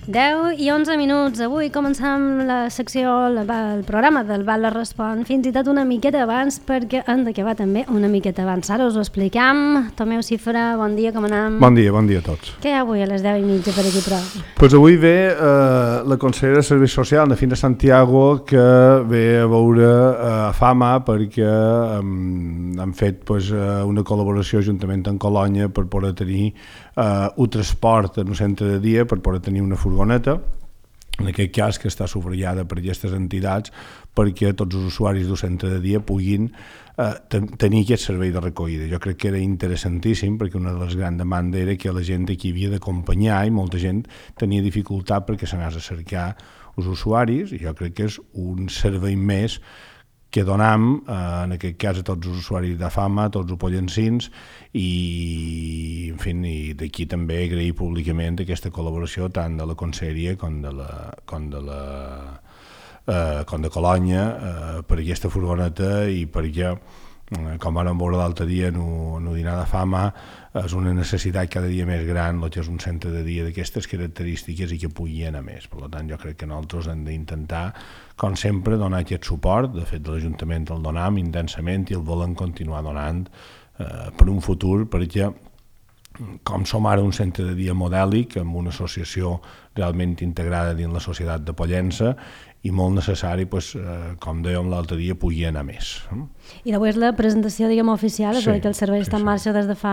10 i 11 minuts. Avui començam la secció, el programa del Val Respon, fins i tot una miqueta abans, perquè hem d'acabar també una miqueta abans. Ara us ho explicam. Tomeu Cifra, bon dia, com anem? Bon dia a tots. Què hi ha avui a les 10:30 per aquí, però? Pues avui ve la consellera de Serveis Socials, de Fina Santiago, que ve a veure Fama perquè han fet una col·laboració juntament amb Colònia per poder tenir un transport en un centre de dia, per poder tenir una furgoneta, en aquest cas que està subratllada per aquestes entitats, perquè tots els usuaris d'un centre de dia puguin tenir aquest servei de recollida. Jo crec que era interessantíssim, perquè una de les grans demandes era que la gent aquí havia d'acompanyar i molta gent tenia dificultat perquè s'anés a cercar els usuaris, i jo crec que és un servei més que donam, en aquest cas, a tots els usuaris de Fama, a tots els pollencins, i, en fi, d'aquí també agrair públicament aquesta col·laboració tant de la Conselleria com de Colònia per aquesta furgoneta, i perquè, com vam veure l'altre dia en un dinar de Fama, és una necessitat cada dia més gran el que és un centre de dia d'aquestes característiques i que pugui anar més. Per tant, jo crec que nosaltres hem d'intentar, com sempre, donar aquest suport. De fet, l'Ajuntament el donam intensament i el volem continuar donant per un futur, perquè com som ara un centre de dia modèlic, amb una associació realment integrada dins la societat de Pollença, i molt necessari, com dèiem l'altre dia, pugui anar més. I d'avui és la presentació, diguem, oficial, és que el servei està en marxa des de fa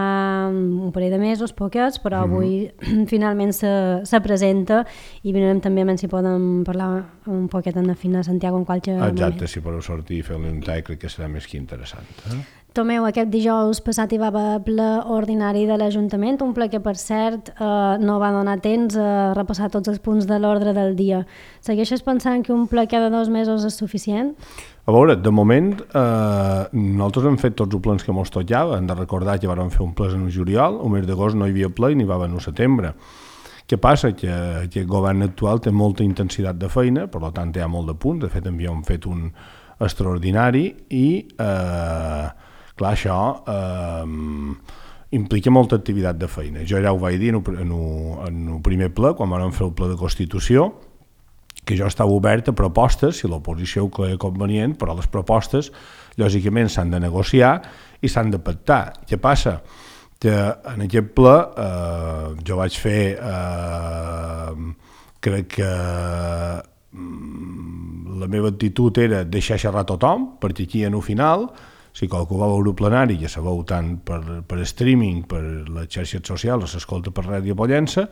un parell de mesos, poquets, però avui finalment se presenta, i mirarem també si podem parlar un poquet amb la Fina Santiago en qualsevol moment. Exacte, si podeu sortir i fer-li un tall, crec que serà més que interessant. Tomeu, aquest dijous passat hi va haver ple ordinari de l'Ajuntament, un ple que, per cert, no va donar temps a repassar tots els punts de l'ordre del dia. Segueixes pensant que un ple cada 2 mesos és suficient? A veure, de moment, nosaltres hem fet tots els plens que ens tocava. Hem de recordar que vam fer un ple en el juliol, el mes d'agost no hi havia ple i n'hi va haver en el setembre. Què passa? Que aquest govern actual té molta intensitat de feina, per tant hi ha molt de punts. De fet, havíem fet un extraordinari i... clar, això implica molta activitat de feina. Jo ja ho vaig dir en el primer ple, quan vam fer el ple de Constitució, que jo estava obert a propostes, si l'oposició ho creia convenient, però les propostes, lògicament, s'han de negociar i s'han de pactar. Què passa? Que en aquest ple jo vaig fer, crec que la meva actitud era deixar xerrar tothom, perquè aquí en el final, si qualcú va veure el plenari, ja sabeu, tant per streaming, per les xarxes socials, s'escolta per Ràdio Pollença,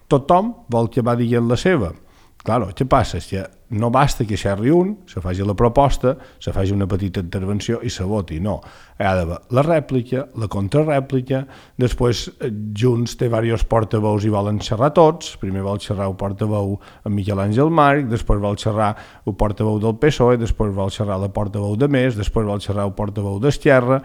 tothom vol que va dient la seva. Clar, què passa? És que no basta que xerri un, se faci la proposta, se faci una petita intervenció i se voti. No, hi ha d'haver la rèplica, la contrarèplica, després Junts té diversos portaveus i volen xerrar tots, primer vol xerrar el portaveu en Miquel Àngel Marc, després vol xerrar el portaveu del PSOE, després vol xerrar la portaveu de Més, després vol xerrar el portaveu d'Esquerra,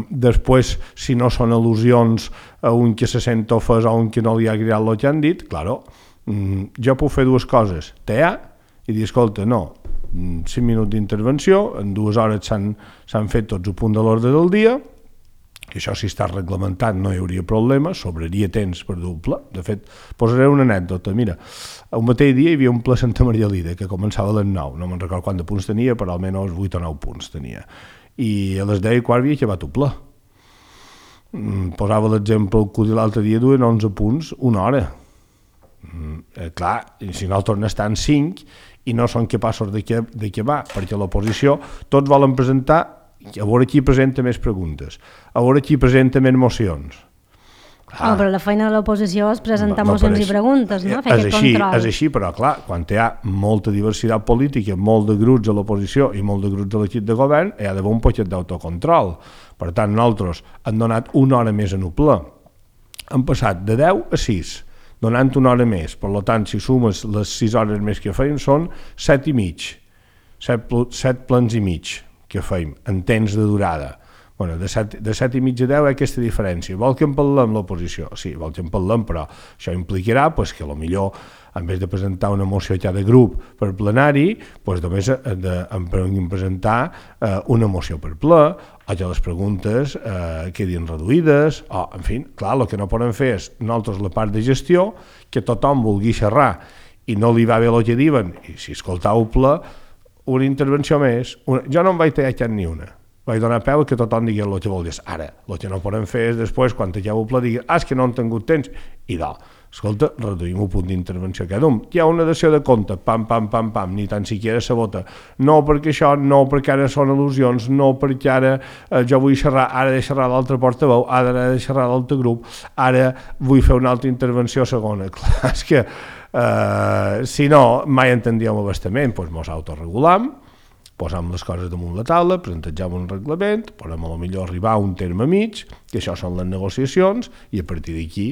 després, si no són al·lusions a un que se sent ofès o a un que no li ha agradat el que han dit, claro, jo puc fer dues coses, tear i dir, escolta, no, 5 minuts d'intervenció, en 2 hores s'han fet tots el punt de l'ordre del dia, que això si està reglamentat no hi hauria problema, sobraria temps per dur el ple. De fet, posaré una anècdota, mira, el mateix dia hi havia un ple a Santa Maria Lida, que començava a les 9, no me'n recordo quants punts tenia, però almenys 8 o 9 punts tenia, i a les 10:15 havia acabat el ple. Posava l'exemple que l'altre dia duen 11 punts, una hora. Clar, si nosaltres n'estan 5 i no són capaços de què va, perquè l'oposició tots volen presentar, a veure qui presenta més preguntes, a veure qui presenta més mocions. Però la feina de l'oposició és presentar mocions i preguntes, no? Fer aquest control. És així, però clar, quan hi ha molta diversitat política, molt de grups a l'oposició i molt de grups de l'equip de govern, hi ha d'haver un poquet d'autocontrol. Per tant, nosaltres hem donat una hora més en el ple. Hem passat de 10 a 6, donant una hora més. Per tant, si sumes les 6 hores més que feim, són 7 i mig. 7 plens i mig que feim, en temps de durada. Bueno, de 7 i mig a 10 aquesta diferència. Vol que en parlem l'oposició? Sí, vol que en parlem, però això implicarà pues, que potser en vez de presentar una moció a cada grup per plenari, pues, només en presentar una moció per ple, o que les preguntes quedin reduïdes, o, en fi, clar, el que no podem fer és nosaltres la part de gestió, que tothom vulgui xerrar i no li va bé el que diuen, i si escoltau ple, una intervenció més, jo no em vaig tallar ni una. Vaig donar peu que tothom digui el que vol dir. Ara, el que no podem fer és després, quan talleu el pla, digui, és que no han tingut temps. I escolta, reduïm un punt d'intervenció cada un. Hi ha una dació de compte, pam, pam, pam, pam, ni tan siquiera se vota. No perquè això, no perquè ara són al·lusions, no perquè ara jo vull xerrar, ara he de xerrar l'altre portaveu, ara he de xerrar l'altre grup, ara vull fer una altra intervenció segona. Clar, és que si no, mai entendíem abastament, doncs mos autoregulam, posam les coses damunt la taula, presentegem un reglament, podem a lo millor arribar a un terme mig, que això són les negociacions, i a partir d'aquí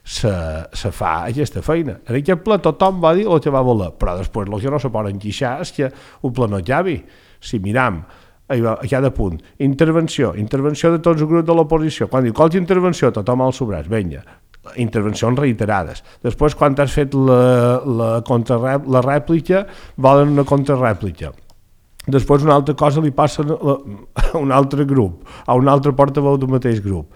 se fa aquesta feina. En aquest ple tothom va dir el que va voler, però després el que no se poden queixar és que un ple no acabi. Si miram a cada punt, intervenció de tots els grups de l'oposició, quan diu qualsevol intervenció, tothom als sobrats, vinga, intervencions reiterades. Després, quan has fet la rèplica, volen una contrarèplica. Després una altra cosa li passa a un altre grup, a un altre portaveu del mateix grup.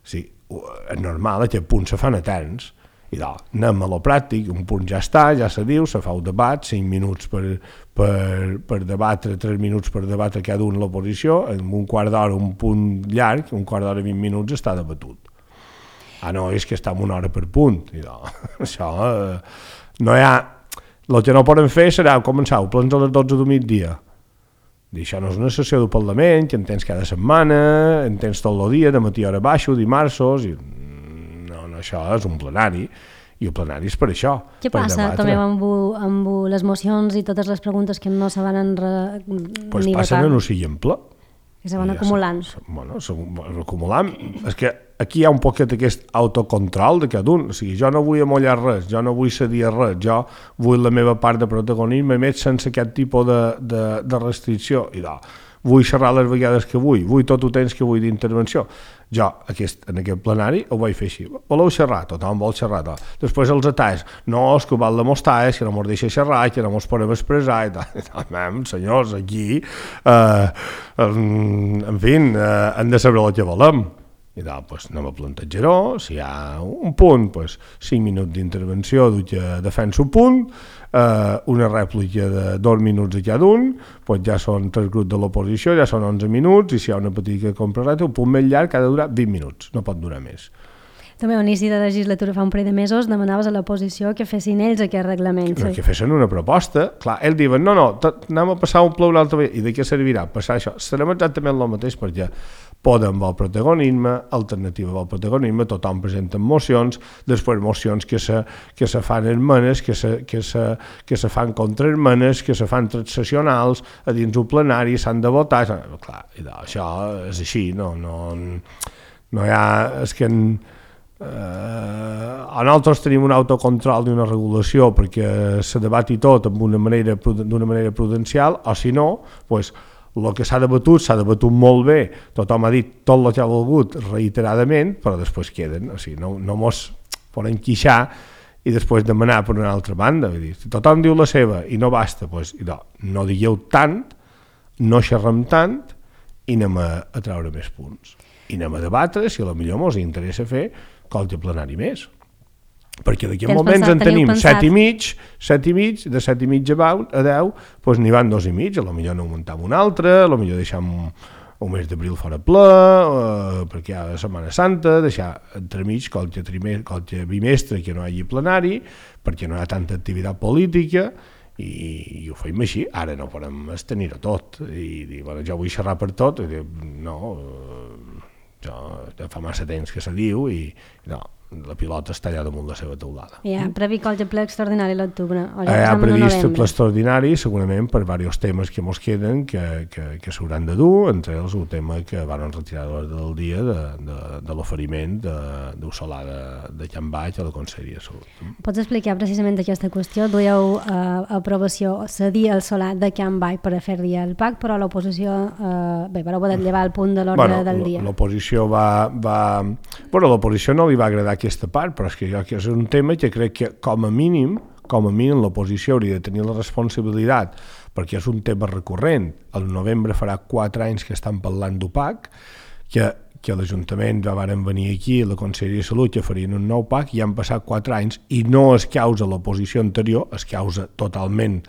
Sí, és normal, aquest punt se fan eterns, i anem a lo pràctic, un punt ja està, ja se diu, se fa un debat, 5 minuts per debatre, 3 minuts per debatre cada un l'oposició, en un quart d'hora, un punt llarg, un quart d'hora, 20 minuts està debatut. No, és que està en una hora per punt, i això no hi ha... El que no poden fer serà començar a plens a les 12 del migdia. Això no és una sessió del Parlament, que en tens cada setmana, en tens tot el dia, de matí a hora baixo, dimarts, i... no, això és un plenari, i el plenari és per això. Què passa també amb les mocions i totes les preguntes que no se van ni votar? Passen a no sigui ple. Que se van acumulant. Bueno, acumulant. És que aquí hi ha un poquet aquest autocontrol de cada un. O sigui, jo no vull amollar res, jo no vull cedir a res, jo vull la meva part de protagonisme més sense aquest tipus de restricció. I vull xerrar les vegades que vull tot el temps que vull d'intervenció. Jo, en aquest plenari, ho vaig fer així. Voleu xerrar? Tothom vol xerrar. Després els atacs. No, és que ho val demostrar, és que no mos deixa xerrar, que no mos podem expressar. Senyors, aquí, en fi, hem de saber el que volem. I anem a plantejar-ho, si hi ha un punt, 5 minuts d'intervenció que defensa un punt, una rèplica de 2 minuts a cada un, ja són 3 grups de l'oposició, ja són 11 minuts, i si hi ha una petita comprareta, un punt més llarg ha de durar 20 minuts, no pot durar més. També a l'inici de la legislatura fa un parell de mesos demanaves a l'oposició que fessin ells aquest reglament. No, que fessin una proposta. Clar, ells diuen, no, anem a passar un ple una altra vegada. I de què servirà? Passar això. Serem exactament el mateix perquè Podem vol protagonisme, Alternativa vol protagonisme, tothom presenta mocions, després mocions que se fan esmenes, que se fan contraesmenes, que se fan transaccionals, a dins un plenari s'han de votar. Clar, això és així, no hi ha... És que nosaltres tenim un autocontrol i una regulació perquè se debati tot d'una manera prudencial, o si no, el que s'ha debatut molt bé, tothom ha dit tot el que ha volgut reiteradament, però després queden, o sigui, no mos podem queixar i després demanar per una altra banda. Si tothom diu la seva i no basta, no digueu tant, no xerrem tant i anem a treure més punts. I anem a debatre si potser ens interessa fer qualque plenari més. Perquè d'aquí moments en tenim 7 i mig, de 7 i mig a 10, n'hi van 2 i mig, potser no augmentem un altre, potser deixem un mes d'abril fora ple, perquè hi ha la Setmana Santa, deixar entremig qualque bimestre que no hi hagi plenari, perquè no hi ha tanta activitat política, i ho fem així. Ara no podem tenir-ho tot, i dir, jo vull xerrar per tot, i dir, no, ja fa massa temps que se diu, i no, la pilota està allà damunt la seva teulada. Hi ha previst el ple extraordinari a l'octubre? Hi ha previst el ple extraordinari, segurament per diversos temes que ens queden, que s'hauran de dur, entre ells el tema que van retirar de l'ordre del dia de l'oferiment d'un solar de Can Baix a la Conselleria de Salut. Pots explicar precisament aquesta qüestió? Duieu aprovació cedir el solar de Can Baix per a fer-li el PAC, però l'oposició vareu poder llevar el punt de l'ordre del dia. L'oposició l'oposició no li va agradar aquesta part, però és que és un tema que crec que com a mínim l'oposició hauria de tenir la responsabilitat, perquè és un tema recurrent. Al novembre farà 4 anys que estan parlant d'UPAC, que l'Ajuntament varen venir aquí a la Conselleria de Salut que farien un nou PAC i han passat 4 anys i no es causa l'oposició anterior, es causa totalment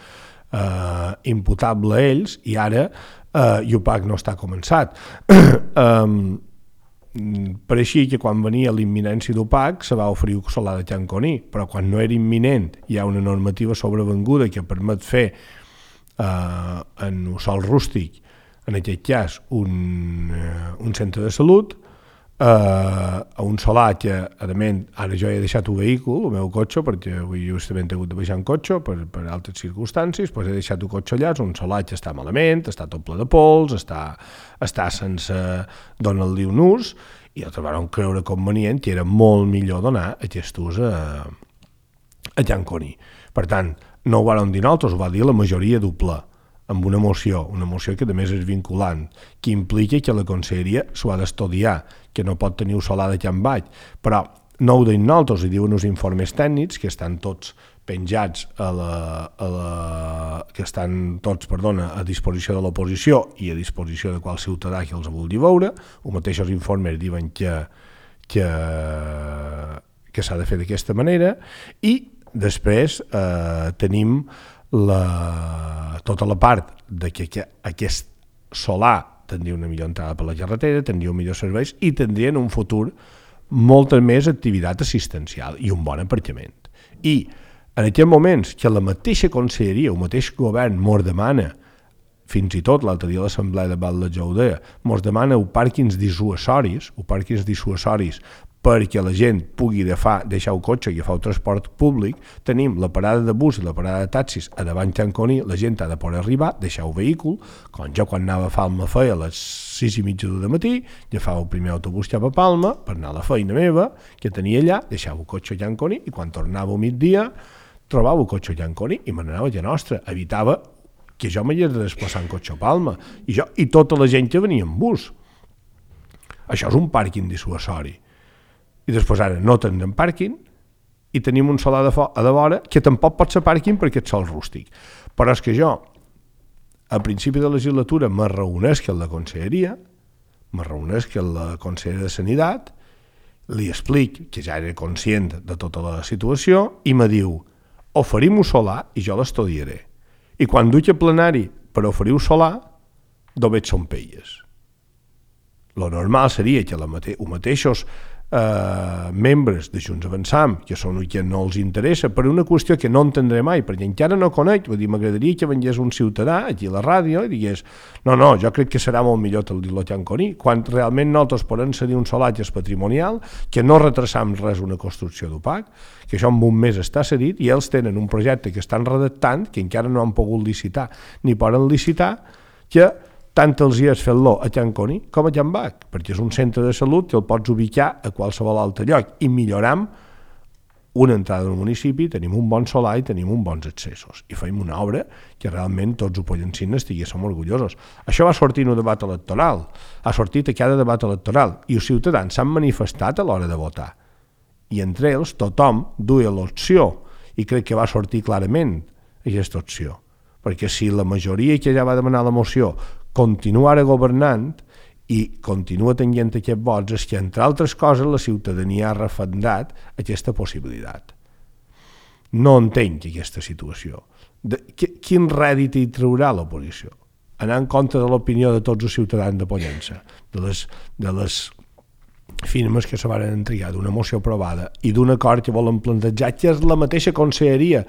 imputable a ells, i ara UPAC no està començat. Pareixia que quan venia l'imminència d'UPAC se va oferir un solar de Can Coní, però quan no era imminent hi ha una normativa sobrevenguda que permet fer en un sòl rústic, en aquest cas un centre de salut, a un solar que, a més, ara jo he deixat un vehícul, el meu cotxe, perquè avui justament he hagut de baixar un cotxe per altres circumstàncies, doncs he deixat un cotxe allà, és un solar que està malament, està tot ple de pols, està sense donar-li un ús, i altres van creure convenient que era molt millor donar aquest ús a Can Coní. Per tant, no ho van dir nosaltres, ho va dir la majoria del ple, amb una moció que a més és vinculant, que implica que la Conselleria s'ho ha d'estudiar, que no pot tenir un solar de Can Baix, però no ho deien nosaltres, hi diuen uns informes tècnics que estan tots penjats a disposició de l'oposició i a disposició de qual ciutadà que els vulgui veure. Els mateixos informes diuen que s'ha de fer d'aquesta manera, i després tenim tota la part de que aquest solar tindria una millor entrada per la carretera, tindria un millor serveis i tindria en un futur molta més activitat assistencial i un bon aparcament. I en aquests moments que la mateixa conselleria, el mateix govern mos demana, fins i tot l'altre dia a l'Assemblea de Val de Jaudea, mos demana pàrquings dissuasoris perquè la gent pugui deixar el cotxe i agafar el transport públic, tenim la parada de bus i la parada de taxis a davant Can Coní, la gent ha de poder arribar, deixar el vehícul, com jo quan anava a Palma feia a les 6:30 del matí, agafava el primer autobús cap a Palma per anar a la feina meva, que tenia allà, deixava el cotxe a Can Coní, i quan tornava al migdia trobava el cotxe a Can Coní i me n'anava a la nostra, evitava que jo m'hagués de desplaçar en cotxe a Palma, i tota la gent que venia en bus. Això és un pàrquing dissuasori. I després ara no tindrem pàrquing i tenim un solar a de vora que tampoc pot ser pàrquing perquè és sol rústic. Però és que jo, a principi de legislatura, me reunesc amb la conselleria, me reunesc amb la consellera de Sanitat, li explic que ja era conscient de tota la situació i me diu, oferim un solar i jo l'estudiaré. I quan duc a plenari per oferir un solar, només són pelles. Lo normal seria que els mateixos membres de Junts Avançam, que són els que no els interessa, per una qüestió que no entendré mai, perquè encara no conec, vull dir, m'agradaria que vengués un ciutadà aquí a la ràdio i digués, no, jo crec que serà molt millor el Can Coní, quan realment nosaltres podem cedir un solar que és patrimonial, que no retrasam res una construcció d'UPAC, que això en un mes està cedit, i ells tenen un projecte que estan redactant, que encara no han pogut licitar, ni poden licitar, que tant els dies fent-lo a Can Coní com a Can Baix, perquè és un centre de salut que el pots ubicar a qualsevol altre lloc i milloram una entrada del municipi, tenim un bon solar i tenim uns bons accessos i fem una obra que realment tots ho pollencins estiguéssim orgullosos. Això va sortir en un debat electoral, ha sortit a cada debat electoral i els ciutadans s'han manifestat a l'hora de votar i entre ells tothom duia l'opció i crec que va sortir clarament aquesta opció, perquè si la majoria que ja va demanar la moció continua ara governant i continua tenint aquests vots, és que, entre altres coses, la ciutadania ha referendat aquesta possibilitat. No entenc aquesta situació. Quin rèdit hi traurà l'oposició? Anar en contra de l'opinió de tots els ciutadans de Pollença, de les firmes que se van entregar d'una moció aprovada i d'un acord que volen plantejar, que és la mateixa conselleria,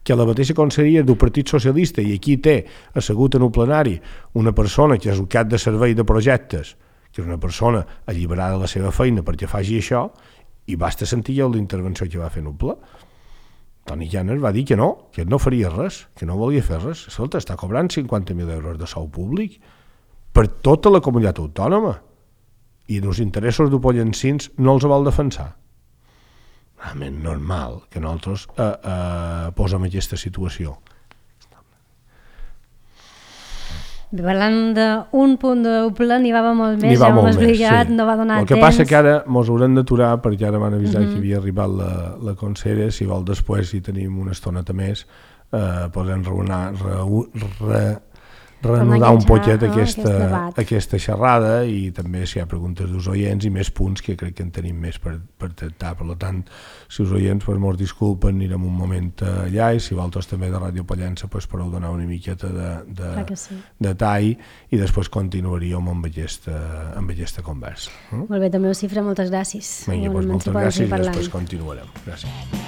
que la mateixa conselleria del Partit Socialista, i aquí té assegut en un plenari una persona que és el cap de servei de projectes, que és una persona alliberada de la seva feina perquè faci això, I basta sentir ja l'intervenció que va fer Nubla. Toni Llanes va dir que no faria res, que no volia fer res. Escolta, està cobrant 50.000 euros de sou públic per tota la comunitat autònoma i els interessos d'upollencins no els vol defensar. Realment normal que nosaltres posem aquesta situació. Parlant d'un punt d'Upla, n'hi va molt més, ja m'ho has explicat, no va donar temps. El que passa que ara ens haurem d'aturar, perquè ara m'han avisat que havia arribat la consellera. Si vol després, si tenim una estoneta més, podem reanudar un poquet aquesta xerrada, i també si hi ha preguntes dels oients i més punts que crec que en tenim més per tractar. Per tant, si els oients ens disculpen, anirem un moment allà, i si vosaltres també de Ràdio Pollença podeu donar una miqueta de tall, i després continuaríem amb aquesta conversa. Molt bé, també Cifra, moltes gràcies. Vinga, moltes gràcies, i després continuarem. Gràcies.